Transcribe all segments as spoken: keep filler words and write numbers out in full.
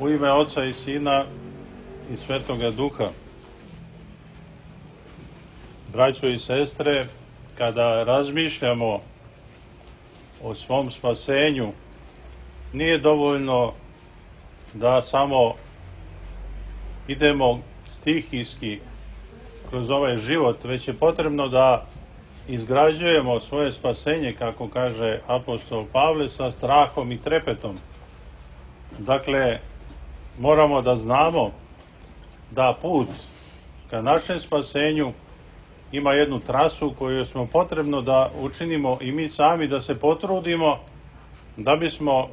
U ime Oca i Sina i Svetoga Duha. Braćo i sestre, kada razmišljamo o svom spasenju, nije dovoljno da samo idemo stihijski kroz ovaj život, već je potrebno da izgrađujemo svoje spasenje, kako kaže apostol Pavle, sa strahom i trepetom. Dakle, moramo da znamo da put ka našem spasenju ima jednu trasu koju smo potrebno da učinimo i mi sami, da se potrudimo da bismo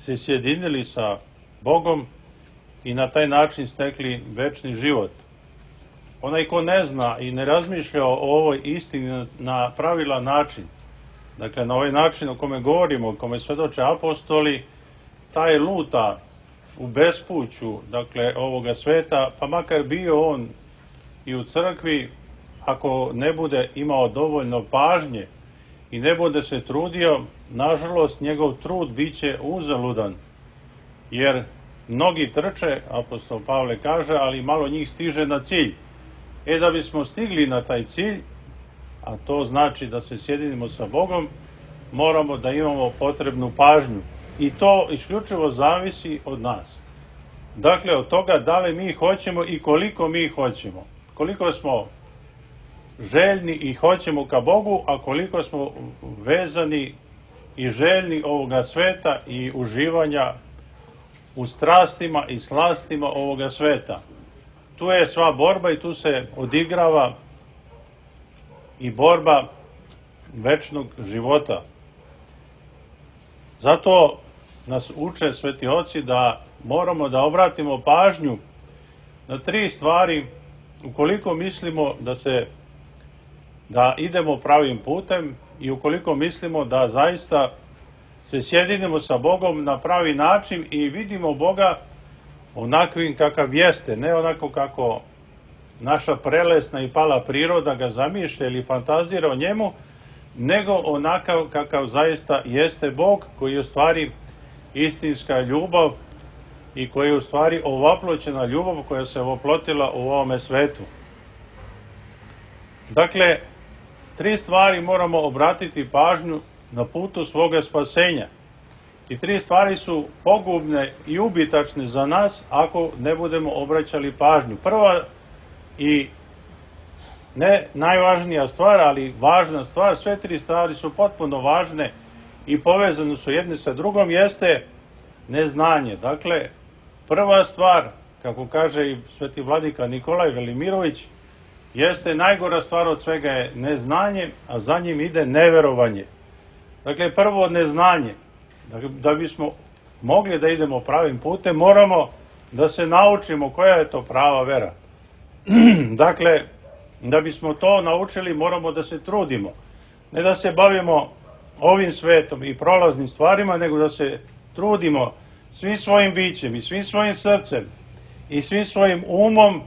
se sjedinili sa Bogom i na taj način stekli večni život. Onaj ko ne zna i ne razmišlja o ovoj istini na pravilan način, dakle na ovaj način o kome govorimo, o kome svedoče apostoli, taj luta u bespuću, dakle, ovoga sveta, pa makar bio on i u crkvi, ako ne bude imao dovoljno pažnje i ne bude se trudio, nažalost, njegov trud bit će uzaludan, jer mnogi trče, apostol Pavle kaže, ali malo njih stiže na cilj. E, da bismo stigli na taj cilj, a to znači da se sjedinimo sa Bogom, moramo da imamo potrebnu pažnju. I to isključivo zavisi od nas. Dakle, od toga da li mi hoćemo i koliko mi hoćemo. Koliko smo željni i hoćemo ka Bogu, a koliko smo vezani i željni ovoga sveta i uživanja u strastima i slastima ovoga sveta. Tu je sva borba i tu se odigrava i borba večnog života. Zato nas uče sveti oci da moramo da obratimo pažnju na tri stvari ukoliko mislimo da se da idemo pravim putem i ukoliko mislimo da zaista se sjedinimo sa Bogom na pravi način i vidimo Boga onakvim kakav jeste, ne onako kako naša prelesna i pala priroda ga zamišlja ili fantazira o njemu, nego onakav kakav zaista jeste Bog, koji je u stvari istinska ljubav i koji je u stvari ovaploćena ljubav koja se oplotila u ovome svetu. Dakle, tri stvari moramo obratiti pažnju na putu svoga spasenja. I tri stvari su pogubne i ubitačne za nas ako ne budemo obraćali pažnju. Prva i ne najvažnija stvar, ali važna stvar, sve tri stvari su potpuno važne i povezane su jedne sa drugom, jeste neznanje. Dakle, prva stvar, kako kaže i sveti vladika Nikolaj Velimirović, jeste najgora stvar od svega je neznanje, a za njim ide neverovanje. Dakle, prvo neznanje. Da bismo mogli da idemo pravim putem, moramo da se naučimo koja je to prava vera. Dakle, da bismo to naučili, moramo da se trudimo. Ne da se bavimo ovim svetom i prolaznim stvarima, nego da se trudimo svim svojim bićem i svim svojim srcem i svim svojim umom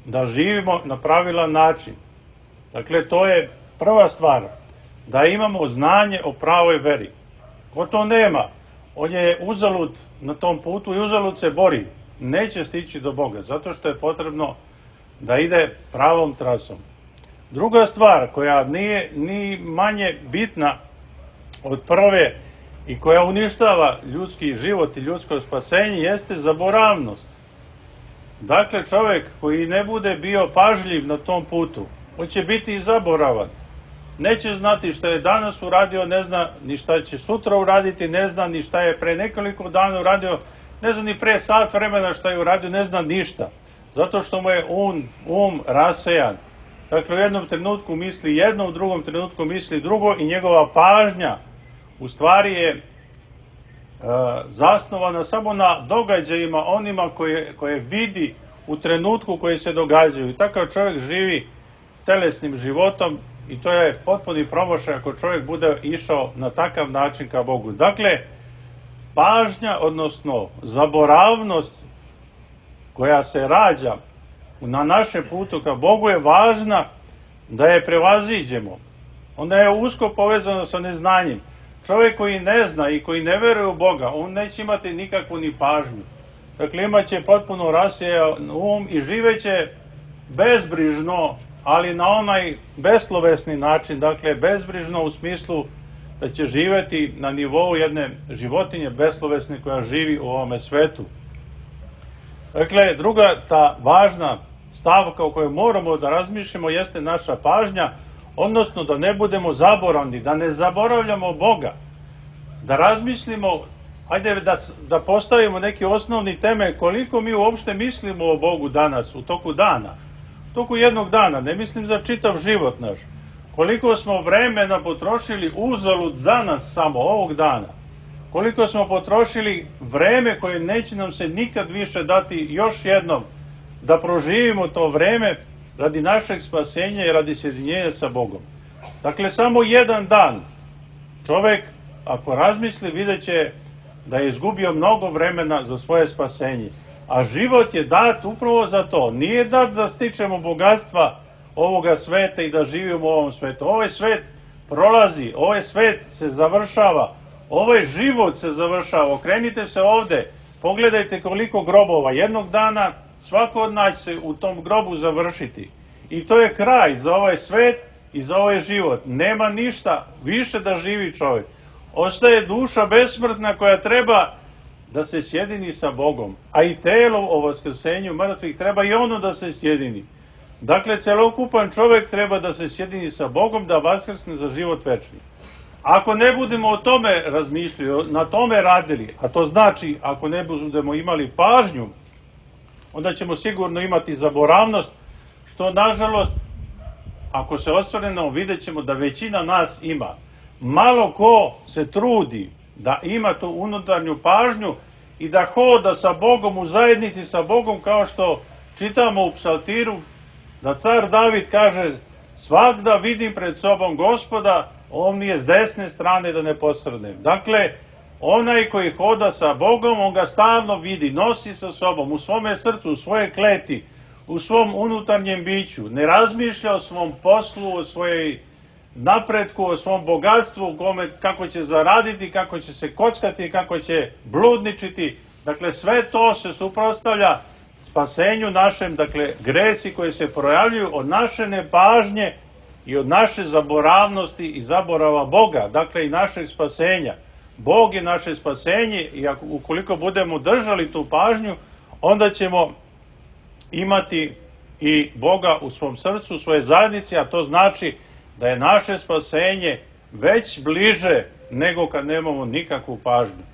da živimo na pravilan način. Dakle, to je prva stvar, da imamo znanje o pravoj veri. Ko to nema, on je uzalud na tom putu i uzalud se bori. Neće stići do Boga, zato što je potrebno da ide pravom trasom. Druga stvar koja nije ni manje bitna od prve i koja uništava ljudski život i ljudsko spasenje jeste zaboravnost. Dakle, čovjek koji ne bude bio pažljiv na tom putu, on će biti i zaboravan. Neće znati šta je danas uradio, ne zna ni šta će sutra uraditi, ne zna ni šta je pre nekoliko dana uradio, ne zna ni pre sat vremena šta je uradio, ne zna ništa. Zato što mu je um, um rasejan. Dakle, u jednom trenutku misli jedno, u drugom trenutku misli drugo i njegova pažnja u stvari je e, zasnovana samo na događajima onima koje, koje vidi u trenutku koji se događaju. I takav čovjek živi telesnim životom i to je potpuni promašaj ako čovjek bude išao na takav način ka Bogu. Dakle, pažnja, odnosno zaboravnost koja se rađa na našem putu ka Bogu je važna da je prevaziđemo. Onda je usko povezano sa neznanjem. Čovjek koji ne zna i koji ne veruje u Boga, on neće imati nikakvu ni pažnju. dakle imat će potpuno rasjejan um i živeće bezbrižno, ali na onaj beslovesni način, dakle bezbrižno u smislu da će živjeti na nivou jedne životinje beslovesne koja živi u ovome svetu. Dakle, druga ta važna stavka o kojoj moramo da razmišljamo jeste naša pažnja, odnosno da ne budemo zaboravni, da ne zaboravljamo Boga, da razmislimo, ajde da, da postavimo neki osnovni temelj koliko mi uopšte mislimo o Bogu danas, u toku dana, u toku jednog dana, ne mislim za čitav život naš, koliko smo vremena potrošili uzalud danas samo, ovog dana, koliko smo potrošili vreme koje neće nam se nikad više dati još jednom, da proživimo to vreme radi našeg spasenja i radi sjedinjenja sa Bogom. Dakle, samo jedan dan čovek, ako razmisli, vidjet će da je izgubio mnogo vremena za svoje spasenje. A život je dat upravo za to. Nije dat da stičemo bogatstva ovoga sveta i da živimo u ovom svetu. Ovaj svet prolazi, ovaj svet se završava, ovaj život se završava. Okrenite se ovde, pogledajte koliko grobova. Jednog dana svako od nas će u tom grobu završiti. I to je kraj za ovaj svet i za ovaj život. Nema ništa više da živi čovjek. Ostaje duša besmrtna koja treba da se sjedini sa Bogom. A i telo o vaskrsenju mrtvih treba i ono da se sjedini. Dakle, celokupan čovjek treba da se sjedini sa Bogom, da vaskrsne za život večni. Ako ne budemo o tome razmišljali, na tome radili, a to znači ako ne budemo imali pažnju, onda ćemo sigurno imati zaboravnost, što nažalost, ako se osvrnemo, vidjet ćemo da većina nas ima. Malo ko se trudi da ima tu unutarnju pažnju i da hoda sa Bogom u zajednici sa Bogom, kao što čitamo u psaltiru, da car David kaže: svagda vidim pred sobom Gospoda, on mi je s desne strane da ne posrnem. Dakle, onaj koji hoda sa Bogom, on ga stalno vidi, nosi sa sobom, u svome srcu, u svoje kleti, u svom unutarnjem biću. Ne razmišlja o svom poslu, o svojej napretku, o svom bogatstvu, kome, kako će zaraditi, kako će se kockati, kako će bludničiti. Dakle, sve to se suprotstavlja spasenju našem, dakle, gresi koji se projavljuju od naše nepažnje i od naše zaboravnosti i zaborava Boga, dakle i našeg spasenja. Bog je naše spasenje i ako, ukoliko budemo držali tu pažnju, onda ćemo imati i Boga u svom srcu, u svojoj zajednici, a to znači da je naše spasenje već bliže nego kad nemamo nikakvu pažnju.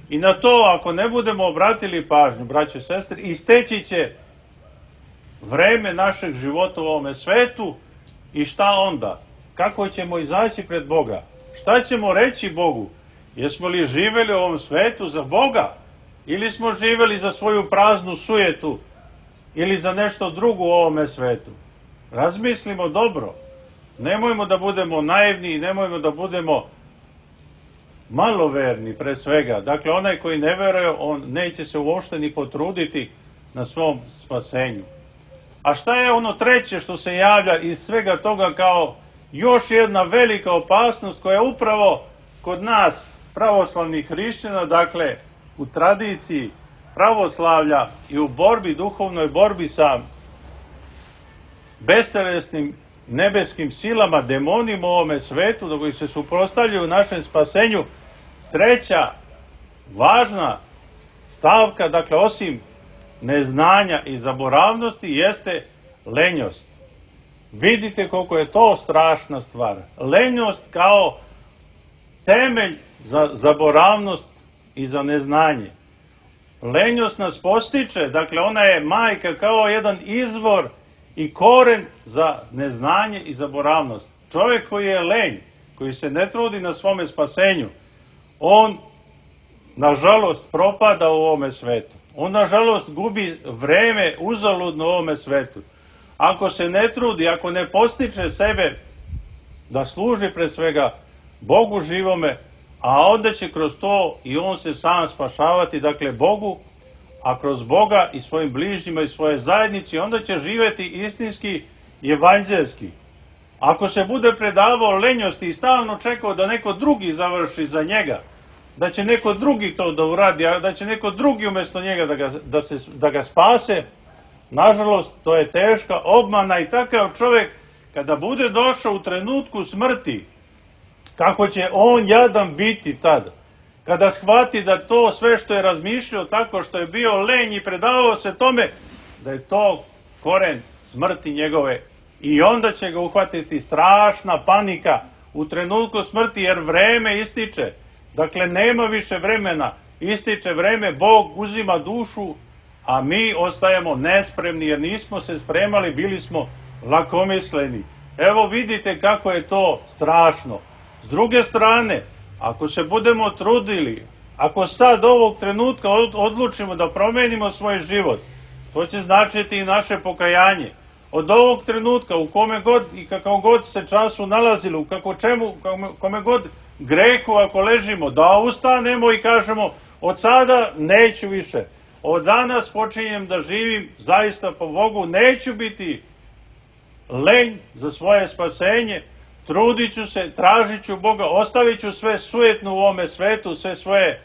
I na to, ako ne budemo obratili pažnju, braćo i sestre, isteći će vreme našeg života u ovome svetu i šta onda? Kako ćemo izaći pred Boga? Šta ćemo reći Bogu? Jesmo li živeli u ovom svetu za Boga? Ili smo živeli za svoju praznu sujetu? Ili za nešto drugo u ovome svetu? Razmislimo dobro. Nemojmo da budemo naivni i nemojmo da budemo maloverni pre svega. Dakle, onaj koji ne veruje, on neće se uopšte ni potruditi na svom spasenju. A šta je ono treće što se javlja iz svega toga kao još jedna velika opasnost koja je upravo kod nas, pravoslavnih hrišćana, dakle u tradiciji pravoslavlja i u borbi, duhovnoj borbi sa bestelesnim nebeskim silama, demonima u ovome svetu, da koji se suprotstavljaju u našem spasenju. Treća važna stavka, dakle osim neznanja i zaboravnosti, jeste lenjost. Vidite koliko je to strašna stvar. Lenjost kao temelj za zaboravnost i za neznanje. Lenjost nas postiče, dakle ona je majka kao jedan izvor i koren za neznanje i zaboravnost. Čovjek koji je lenj, koji se ne trudi na svome spasenju, on nažalost propada u ovome svetu. On nažalost gubi vreme uzaludno u ovome svetu. Ako se ne trudi, ako ne postiče sebe da služi pre svega Bogu živome, a onda će kroz to i on se sam spašavati, dakle Bogu, a kroz Boga i svojim bližnjima i svoje zajednici, onda će živjeti istinski i evanđelski. Ako se bude predavao lenjosti i stalno čekao da neko drugi završi za njega, da će neko drugi to da uradi, a da će neko drugi umjesto njega da ga, da se, da ga spase, nažalost, to je teška obmana i takav čovjek, kada bude došao u trenutku smrti, kako će on jadan biti tada, kada shvati da to sve što je razmišljao tako što je bio lenj i predavao se tome, da je to koren smrti njegove. I onda će ga uhvatiti strašna panika u trenutku smrti, jer vreme ističe. Dakle, nema više vremena, ističe vreme, Bog uzima dušu, a mi ostajemo nespremni jer nismo se spremali, bili smo lakomisleni. Evo vidite kako je to strašno. S druge strane, ako se budemo trudili, ako sad ovog trenutka odlučimo da promenimo svoj život, to će značiti i naše pokajanje. Od ovog trenutka, u kome god i kakav god se času nalazili, u kako čemu, kome god grehu ako ležimo, da ustanemo i kažemo, od sada neću više. Od danas počinjem da živim zaista po Bogu, neću biti lenj za svoje spasenje, trudit ću se, tražit ću Boga, ostavit ću sve sujetno u ovome svetu, sve svoje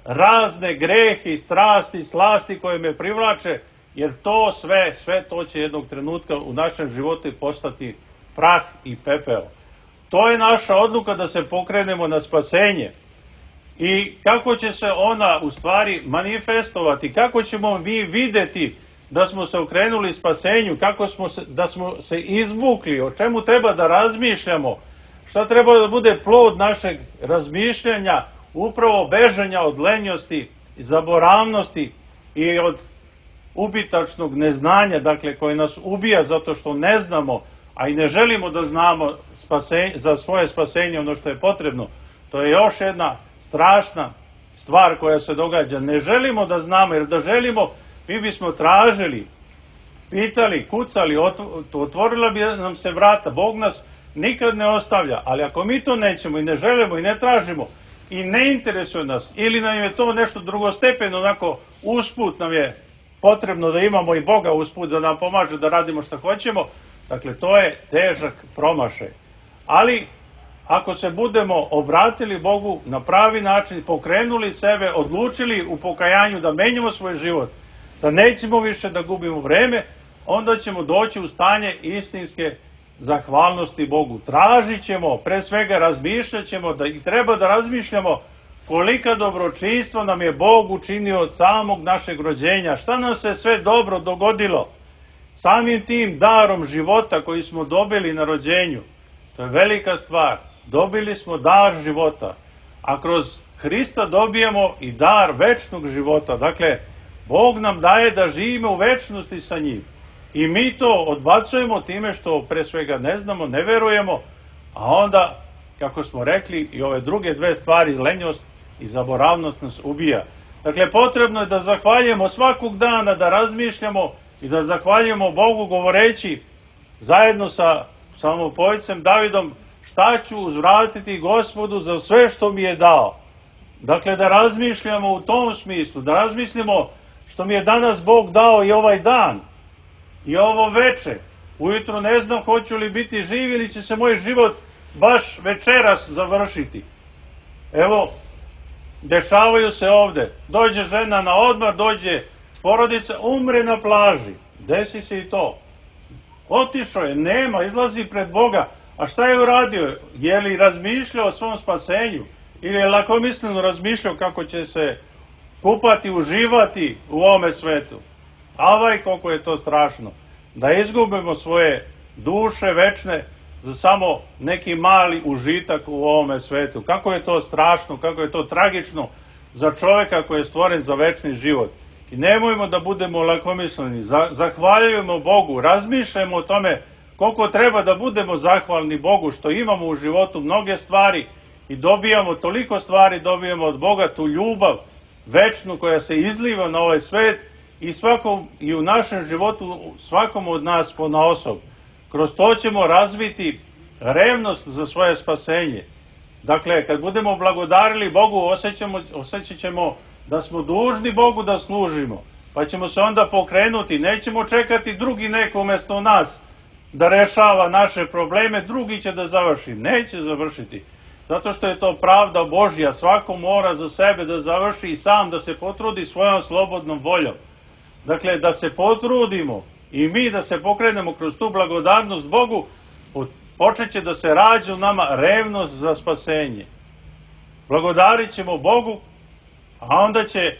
razne grehe, strasti, slasti koje me privlače, jer to sve, sve to će jednog trenutka u našem životu postati prah i pepeo. To je naša odluka da se pokrenemo na spasenje. I kako će se ona u stvari manifestovati, kako ćemo mi videti da smo se okrenuli spasenju, kako smo se, da smo se izvukli, o čemu treba da razmišljamo, šta treba da bude plod našeg razmišljanja, upravo bežanja od lenjosti, zaboravnosti i od ubitačnog neznanja, dakle, koje nas ubija zato što ne znamo, a i ne želimo da znamo spasenje, za svoje spasenje ono što je potrebno. To je još jedna strašna stvar koja se događa. Ne želimo da znamo, jer da želimo, mi bismo tražili, pitali, kucali, otvorila bi nam se vrata. Bog nas nikad ne ostavlja, ali ako mi to nećemo i ne želimo i ne tražimo i ne interesuje nas, ili nam je to nešto drugostepeno, onako usput nam je potrebno da imamo i Boga usput da nam pomaže da radimo što hoćemo, dakle to je težak promašaj. Ali ako se budemo obratili Bogu na pravi način, pokrenuli sebe, odlučili u pokajanju da menjamo svoj život, da nećemo više da gubimo vreme, onda ćemo doći u stanje istinske zahvalnosti Bogu. Tražit ćemo, pre svega razmišljat ćemo, da i treba da razmišljamo kolika dobročinstva nam je Bog učinio od samog našeg rođenja, šta nam se sve dobro dogodilo, samim tim darom života koji smo dobili na rođenju. To je velika stvar. Dobili smo dar života, a kroz Hrista dobijemo i dar večnog života. Dakle, Bog nam daje da živimo u večnosti sa njim. I mi to odbacujemo time što pre svega ne znamo, ne verujemo, a onda, kako smo rekli, i ove druge dve stvari, lenjost i zaboravnost nas ubija. Dakle, potrebno je da zahvaljujemo svakog dana, da razmišljamo i da zahvaljujemo Bogu govoreći zajedno sa samopojcem Davidom, šta ću uzvratiti Gospodu za sve što mi je dao. Dakle, da razmišljamo u tom smislu, da razmislimo što mi je danas Bog dao i ovaj dan, i ovo veče. Ujutro ne znam hoću li biti živ ili će se moj život baš večeras završiti. Evo, dešavaju se ovde. Dođe žena na odmor, dođe porodica, umre na plaži. Desi se i to. Otišao je, nema, izlazi pred Boga. A šta je uradio? Je li razmišljao o svom spasenju? Ili je lakomisleno razmišljao kako će se kupati, uživati u ovome svetu? Avaj, koliko je to strašno. Da izgubimo svoje duše večne za samo neki mali užitak u ovome svetu. Kako je to strašno, kako je to tragično za čovjeka koji je stvoren za večni život. I nemojmo da budemo lakomisleni. Zahvaljujemo Bogu, razmišljamo o tome koliko treba da budemo zahvalni Bogu što imamo u životu mnoge stvari i dobijamo, toliko stvari dobijamo od Boga, tu ljubav večnu koja se izliva na ovaj svet i, svakom, i u našem životu svakom od nas ponaosob. Kroz to ćemo razviti revnost za svoje spasenje. Dakle, kad budemo blagodarili Bogu, osjećamo, osjećat ćemo da smo dužni Bogu da služimo, pa ćemo se onda pokrenuti, nećemo čekati drugi neko umjesto nas da rešava naše probleme, drugi će da završi, neće završiti. zato što je to pravda Božja. Svako mora za sebe da završi i sam da se potrudi svojom slobodnom voljom. Dakle, da se potrudimo i mi da se pokrenemo kroz tu blagodarnost Bogu, počet će da se rađa u nama revnost za spasenje. Blagodarit ćemo Bogu, a onda će,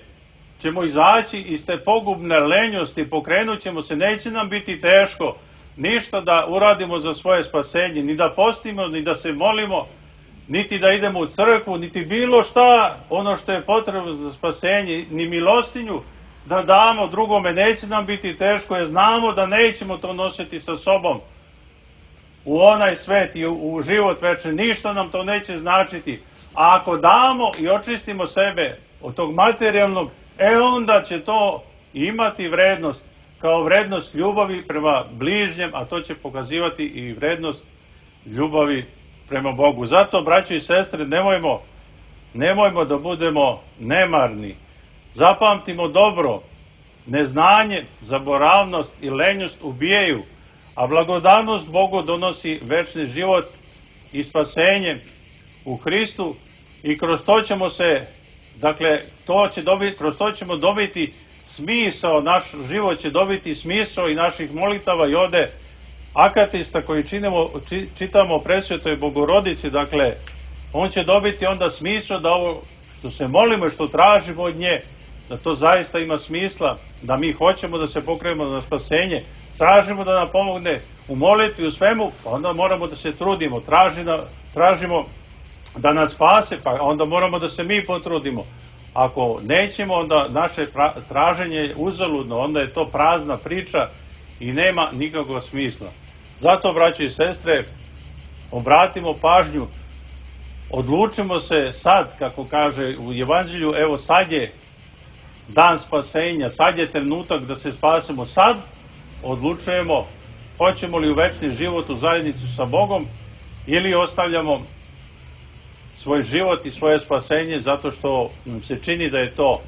ćemo izaći iz te pogubne lenjosti, pokrenut ćemo se, neće nam biti teško ništa da uradimo za svoje spasenje, ni da postimo, ni da se molimo, niti da idemo u crkvu, niti bilo šta, ono što je potrebno za spasenje, ni milostinju da damo drugome, neće nam biti teško, jer znamo da nećemo to nositi sa sobom u onaj svet i u život večni, ništa nam to neće značiti. A ako damo i očistimo sebe od tog materijalnog, e onda će to imati vrednost, kao vrednost ljubavi prema bližnjem, a to će pokazivati i vrednost ljubavi prema Bogu. Zato, braćo i sestre, nemojmo, nemojmo da budemo nemarni. Zapamtimo dobro, neznanje, zaboravnost i lenjost ubijaju, a blagodarnost Bogu donosi večni život i spasenje u Hristu i kroz to ćemo se, dakle, to će dobiti, kroz to ćemo dobiti smisao, naš život će dobiti smisao i naših molitava i ode akatista koji činimo, čitamo o presvetoj Bogorodici, dakle, on će dobiti onda smisao da ovo što se molimo i što tražimo od nje, da to zaista ima smisla, da mi hoćemo da se pokrenemo na spasenje, tražimo da nam pomogne u molitvi, u svemu, pa onda moramo da se trudimo, Traži da, tražimo da nas spase, pa onda moramo da se mi potrudimo. Ako nećemo, onda naše traženje je uzaludno, onda je to prazna priča i nema nikakvog smisla. Zato, braćo i sestre, obratimo pažnju, odlučimo se sad, kako kaže u Evanđelju, evo sad je dan spasenja, sad je trenutak da se spasemo, sad odlučujemo hoćemo li u večni život u zajednicu sa Bogom ili ostavljamo svoj život i svoje spasenje zato što nam se čini da je to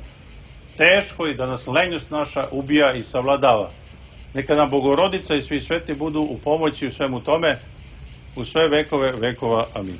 teško i da nas lenjost naša ubija i savladava. Neka nam Bogorodica i svi sveti budu u pomoći u svemu tome, u sve vekove vekova. Amin.